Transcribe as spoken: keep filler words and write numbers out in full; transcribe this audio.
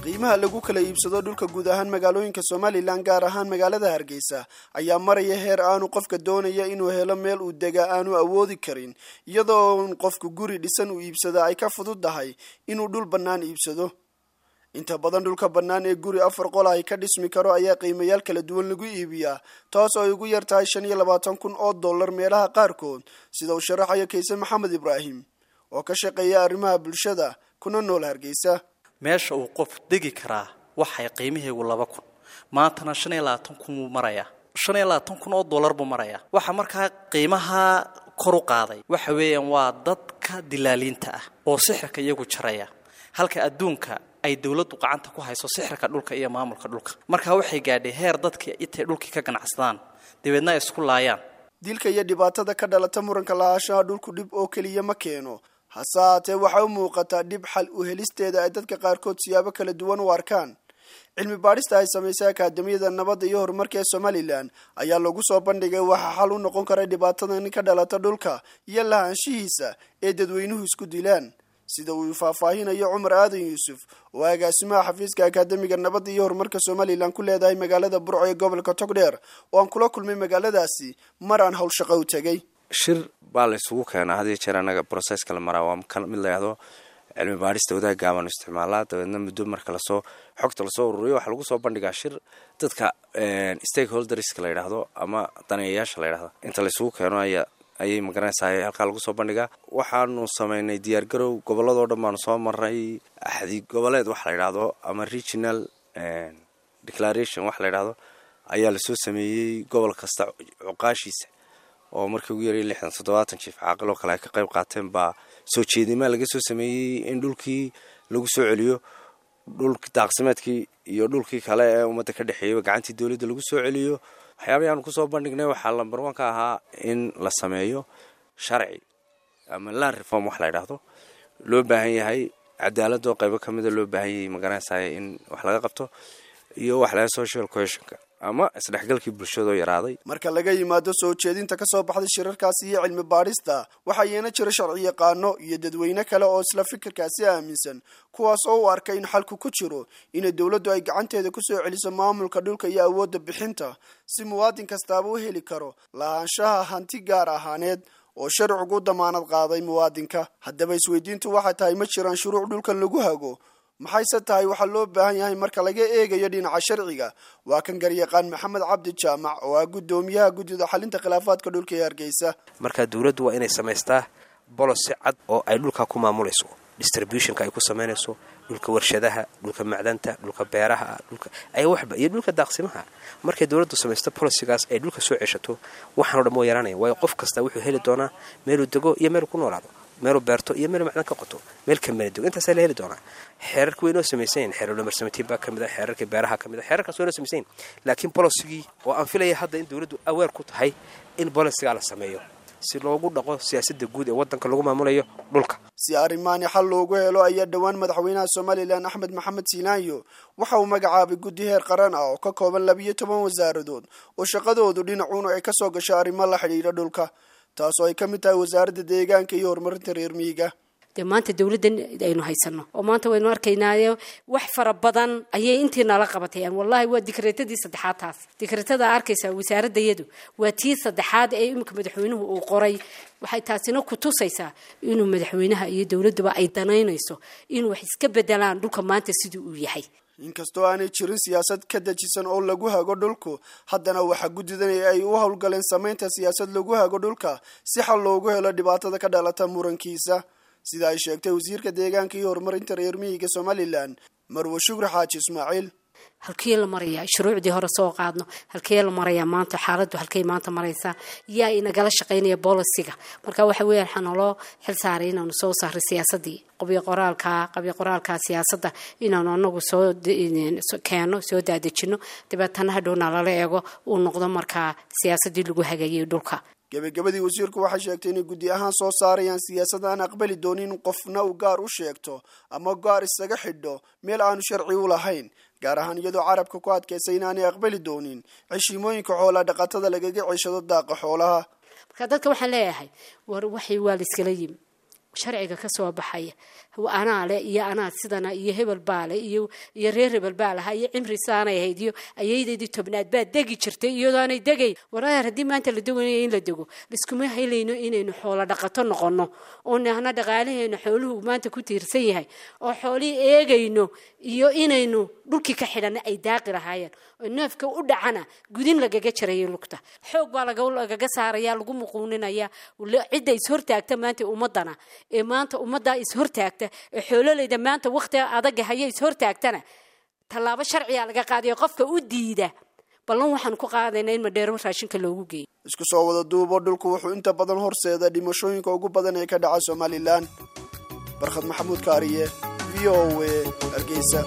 Qiimaha lagu kala iibsado dhulka guud ahaan magaalooyinka Somaliland, gaar ahaan magaalada Hargeysa, ayaa maraya heer aanu qofka doonaya inuu helo meel uu dega aanu awoodi karin, iyadoo un qofku guri dhisan uu iibsada ay ka fududahay inuu dhul bannaan iibsado. Inta badan dhulka bannaan ee guri afar qol ay ka dhismi karo ayaa qiimayaal kala duwan lagu iibiyaa, taas oo ay ugu yar tahay shan iyo labaatan kun oo dollar meelaha qaarkood, sida uu sharaxayo Kayse Maxamed Ibraahim oo ka shaqeeya arrimaha bulshada kuna nool Hargeysa. Meesha uu qof degi karaa waxay qiimaheegu laba kun, maantana shan iyo labaatan kun buu marayaa, shan iyo labaatan kun oo dollar buu marayaa. Waxa markaa qiimaha kor u qaaday waxa weeyaan waa dadka dilaaliinta ah oo sixirka iyagu jaraya, halka adduunka ay dowladdu gacanta ku hayso sixirka dhulka iyo maamulka dhulka. Markaa waxay gaadhay heer dadka intay dhulkii ka ganacsadaan dabeedna ay isku laayaan. Dilka iyo dhibaatada ka dhalata muranka lahaanshaha dhulku dhib oo keliya ma keeno, hase haatee waxay u muuqataa dhib xal u helisteeda ay dadka qaarkood siyaabo kala duwan u arkaan. Cilmi baadhista ay samaysay Akaademiyada Nabadda iyo Horumarka ee Somaliland ayaa lagu soo bandhigay waxa xal u noqon kara dhibaatadan ka dhalata dhulka iyo lahaanshihiisa ee dadweynuhu isku dilaan, sida uu faahfaahinayo Cumar Aadan Yuusuf oo agaasimaha xafiiska Akaademiga Nabadda iyo Horumarka Somaliland ku leedahay magaalada Burco ee gobolka Togdheer, oo aan kula kulmay magaaladaasi mar aan howl shaqo u tegay. Shir baa la isugu keenaa had iyo jeer. Annaga processka la maraa waa mid la yidhaahdo cilmi baadhista wadaagga baanu isticmaalaa. Dabeedna muddo marka lasoo xogta lasoo ururiyo, waxaa lagu soo bandhigaa shir dadka stakeholderska la yidhaahdo ama daneeyayaasha la yidhahdo inta la isugu keeno ayaa ayay magaranaysaa halkaa lagu soo bandhigaa. Waxaanu sameynay diyaargarow, gobolladoo dhan baanu soo marnay. Axdi goboleed waxa la yidhaahdo ama regional declaration waxa la yidhaahdo ayaa lasoo sameeyey. Gobol kasta cuqaashiisa oo markii ugu yaray lixdan toddobaatan jiif caaqil oo kale ay ka qayb qaateen baa soo jeedimaa laga soo sameeyey in dhulkii lagu soo celiyo, dhul daaqsimeedkii iyo dhulkii kale ee ummadda ka dhexeeyaba gacantii dowladda lagu soo celiyo. Waxyaabihii aanu kusoo bandhignay waxaa lambar one ka ahaa in la sameeyo sharci ama land reform wax la yidhaahdo loo baahan yahay, cadaaladoo qaybo ka mida loo baahan yahay magaranaysaay in wax laga qabto, iyo wax laga social cohesionka ama isdhexgalkii bulshadoo yaraaday. Marka laga yimaado soo jeedinta ka soo baxday shirarkaasi iyo cilmi baadhista, waxaa iyana jira sharci yaqaano iyo dadweyne kale oo isla fikirkaasi aaminsan, kuwaas oo u arka in xalku ku jiro inay dowladdu ay gacanteeda kusoo celiso maamulka dhulka iyo awoodda bixinta, si muwaadin kastaaba u heli karo lahaanshaha hanti gaar ahaaneed oo sharcigu u damaanad qaaday muwaadinka. Haddaba isweydiintu waxay tahay, ma jiraan shuruuc dhulkan lagu hago? Maxayse tahay waxaa loo baahan yahay marka laga eegayo dhinaca sharciga? Waa kan garyaqaan Maxamed Cabdi Jaamac oo ah guddoomiyaha guddida xalinta khilaafaadka dhulka ee Hargeysa. Marka dowladdu waa inay samaystaa policy cad oo ay dhulka ku maamulayso, distributionka ay ku samaynayso dhulka warshadaha, dhulka macdanta, dhulka beeraha, dhulka ay waxba iyo dhulka daaqsimaha. Markay dowladdu samaysto policygaas ay dhulka soo ceshato, waxaanoo dhan woo yaraanaya, waayo qof kasta wuxuu heli doonaa meeluu dego iyo meeluu ku noolaado, meeluu beerto iyo meeluu macdan ka qoto, meel kamana dego. Intaasaa la heli doonaa. Xeerarka way noo samaysan, xeerar number seventeen baa ka mid a, xeerarka beeraha ka mid a, xeerarkaas way noo samaysan, laakiin policygii oo aan filaya hadda in dowladdu aware ku tahay in policygaa la sameeyo si loogu dhaqo siyaasadda guud ee waddanka lagu maamulayo dhulka. Si arrimaani xal loogu helo ayaa dhowaan madaxweynaha Somaliland Axmed Maxamed Silaanyo waxa uu magacaabay guddi heer qaran ah oo ka kooban labiyo toban wasaaradood oo shaqadoodu dhinacuuna ay kasoo gasho arrimo la xidhiidha dhulka, taasoo ay ka mid tahay Wasaaradda Deegaanka iyo Horumarinta Reer Miyiga. Dee maanta dowladdan aynu haysano oo maanta waynu arkaynaayo wax fara badan ayay intii nala qabatay. Wallahi waa dikreetadii saddexaad taas. Dikreetada arkaysaa wasaaradayadu waa tii saddexaad ee iminka madaxweynuhu uu qoray. Waxay taasina ku tusaysaa inuu madaxweynaha iyo dowladduba ay danaynayso in wax iska bedelaan dhulka maanta sidii uu yahay. Inkastoo aanay jirin siyaasad ka dejisan oo lagu hago dhulku, haddana waxaa guddidan ay u howlgaleen samaynta siyaasad lagu hago dhulka si xal loogu helo dhibaatada ka dhalata murankiisa, sida ay sheegtay wasiirka deegaanka iyo horumarinta reer miyiga Somaliland, Marwe Shukri Xaaji Ismaaciil. Halkee la marayaa shuruucdii hore soo qaadno? Halkee la marayaa maanta xaaladdu? Halkay maanta maraysaa? Yaa inagala shaqaynaya policyga? Marka waxa weeyaan waxaa naloo xil saaray inaanu soo saaray siyaasadii qabyo qoraalka qabyo qoraalka siyaasadda, inaanu anagu soo keeno, soo daadejino, dabeetana hadhowna lala eego uu noqdo markaa siyaasadii lagu hagayay dhulka. Gebagabadii, wasiirku waxay sheegtay inay guddi ahaan soo saarayaan siyaasad aan aqbali doonin in qofna uu gaar u sheegto ama gaar isaga xidho meel aanu sharci u lahayn, gaar ahaan iyadoo carabka ku adkaysay inaanay aqbali doonin ceshiimooyinka xoolaa dhaqatada lagaga ceshado daaqa xoolaha. Marka Marka dadka waxaan leeyahay, war waxay waa la iskala yimi sharciga ka soo baxaya, anaa le iyo anaa sidana iyo hebel baale iyo iyo reer hebel baa lahaa iyo cimri saanay ahayd iyo ayaydeedii tobnaad baa degi jirtay iyadoonay degay. Waraar, haddii maanta la doganaya in la dego, liskuma helayno inaynu xoolo dhaqato noqono oo nahna dhaqaalaheena xooluhu maanta ku tiirsan yahay oo xoolihii eegayno iyo inaynu dhulkii ka xidhanna ay daaqi lahaayeen oo neefka u dhacana gudin lagaga jarayo lugta, xoog baa lagaga saaraya, lagu muquuninaya cidda ishortaagta maanta ummadana ee maanta ummaddaa ishortaagta ee xoololeyda maanta wakhtiga adaga haya ishortaagtana tallaabo sharciyaa laga qaadayo. Qofka u diida, ballan waxaan ku qaadaynaa in Madheero raashinka loogu geeyo. Isku soo wada duubo, dhulku wuxuu inta badan horseeda dhimashooyinka ugu badan ee ka dhaca Somalilan. Barkhad Maxamuud Kaariye, V O A, Hargeysa.